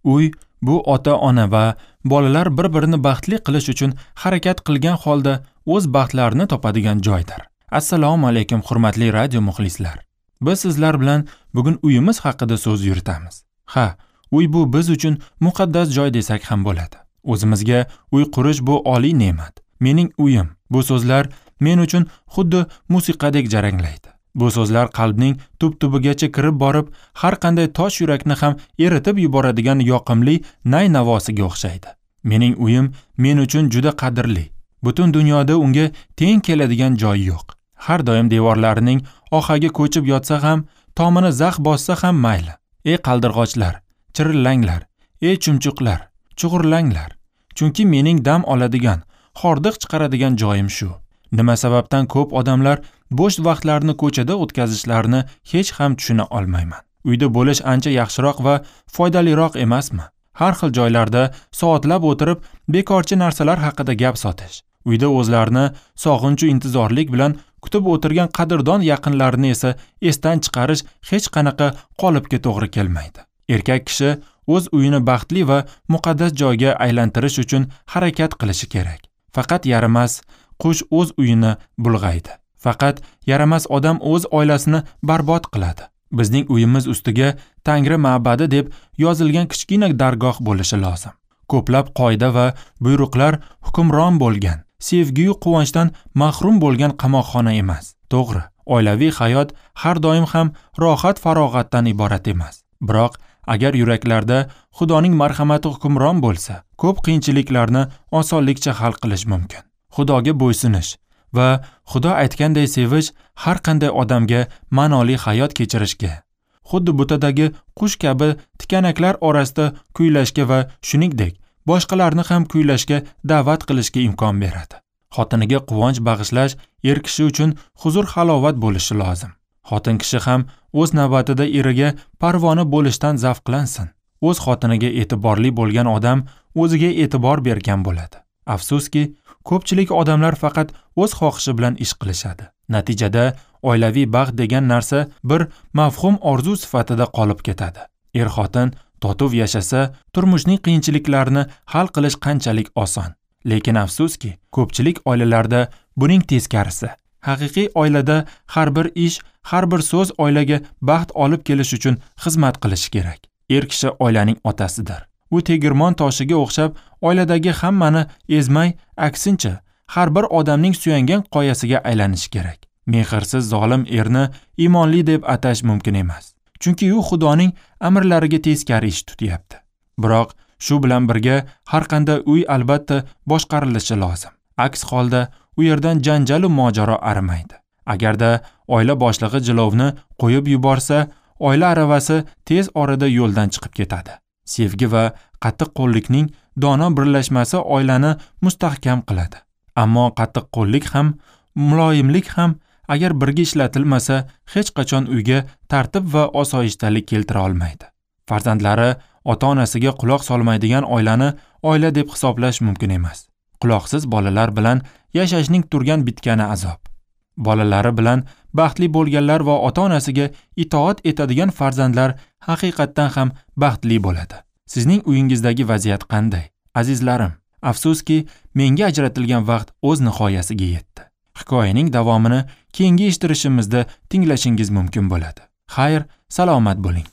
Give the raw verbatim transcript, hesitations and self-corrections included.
Uy bu ota-ona va bolalar bir-birini baxtli qilish uchun harakat qilgan holda o'z baxtlarini topadigan joydir. Assalomu alaykum hurmatli radio muxlislar. Biz sizlar bilan bugun uyimiz haqida so'z yuritamiz. Ha, uy bu biz uchun muqaddas joy desak ham bo'ladi. O'zimizga uy qurish bu oliy ne'mat. Mening uyim. Bu so'zlar men uchun xuddi musiqadek jaranglaydi. Bu so'zlar qalbning tub-tubigacha kirib borib, har qanday tosh yurakni ham eritib yuboradigan yoqimli nay navosiga o'xshaydi. Mening uyim men uchun juda qadrli. Butun dunyoda unga teng keladigan joy yo'q. Har doim devorlarining ohagi ko'chib yotsa ham, tomini zax bossa ham mayli. Ey qaldirg'ochlar, chirillanglar, ey chumchuqlar, chug'urlanglar. Chunki mening dam oladigan, hordiq chiqaradigan joyim shu. Nima sababdan ko'p odamlar bo'sh vaqtlarini ko'chada o'tkazishlarini hech ham tushuna olmayman. Uyda bo'lish ancha yaxshiroq va foydaliroq emasmi? Har xil joylarda soatlab o'tirib, bekorchi narsalar haqida gap sotish. Uyda o'zlarini sog'inchu intizorlik bilan kutib o'tirgan qadrdon yaqinlarini esa esdan chiqarish hech qanaqa qolipga to'g'ri kelmaydi. Erkak kishi o'z uyini baxtli va muqaddas joyga aylantirish uchun harakat qilishi kerak. Faqat yaramas qush o'z uyini bulg'aydi. Faqat yaramas odam o'z oilasini barbod qiladi. Bizning uyimiz ustiga Tangri ma'badi deb yozilgan kichkina dargoh bo'lishi lozim. Ko'plab qoida va buyruqlar hukmron bo'lgan, sevgiyu quvonchdan mahrum bo'lgan qamoqxona emas. To'g'ri, oilaviy hayot har doim ham rohat farog'atdan iborat emas. Biroq agar yuraklarda Xudoning marhamati hukmron bo'lsa, ko'p qiyinchiliklarni osonlikcha hal qilish mumkin. Xudoga bo'ysunish va Xudo aytganday sevish har qanday odamga ma'noli hayot kechirishga, xuddi butadagi qush kabi tikanaklar orasida kuylashga va shuningdek boshqalarni ham kuylashga da'vat qilishga imkon beradi. Xotiniga quvonch bag'ishlash er kishi uchun huzur halovat bo'lishi lozim. Xotin kishi ham o'z navbatida eriga parvona bo'lishdan zavqlansin. O'z xotiniga e'tiborli bo'lgan odam o'ziga e'tibor bergan bo'ladi. Afsuski, ko'pchilik odamlar faqat o'z xohishi bilan ish qilishadi. Natijada oilaviy baxt degan narsa bir mavhum orzu sifatida qolib ketadi. Er-xotin totuv yashasa, turmushning qiyinchiliklarini hal qilish qanchalik oson. Lekin afsuski, ko'pchilik oilalarda buning teskarisi. Haqiqiy oilada har bir ish, har bir so'z oilaga baxt olib kelish uchun xizmat qilishi kerak. Er kishi oilaning otasidir. U tegirmon toshiga o'xshab oiladagi hammani ezmay, aksincha har bir odamning suyangan qoyasiga aylanishi kerak. Mehrsiz zolim erni iymonli deb atash mumkin emas. Chunki u Xudoning amrlariga teskari ish tutyapti. Biroq shu bilan birga har qanday uy albatta boshqarilishi lozim. Aks holda u yerdan janjal va mojaro arimaydi. Agarda oila boshlig'i jilovni qo'yib yuborsa, oila aravasi tez orada yo'ldan chiqib ketadi. Sevgi va qattiqqo'llikning dono birlashmasi oilani mustahkam qiladi. Ammo qattiqqo'llik ham, muloyimlik ham agar birga ishlatilmasa, hech qachon uyga tartib va osoyishtalik keltira olmaydi. Farzandlari ota-onasiga quloq solmaydigan oilani oila deb hisoblash mumkin emas. Quloqsiz bolalar bilan yashashning turgan bitgani azob. Bolalari bilan baxtli bo'lganlar va ota-onasiga itoat etadigan farzandlar haqiqatdan ham baxtli bo'ladi. Sizning uyingizdagi vaziyat qanday? Azizlarim, afsuski, menga ajratilgan vaqt o'z nihoyasiga yetdi. Hikoyaning davomini keyingi eshittirishimizda tinglashingiz mumkin bo'ladi. Xayr, salomat bo'ling.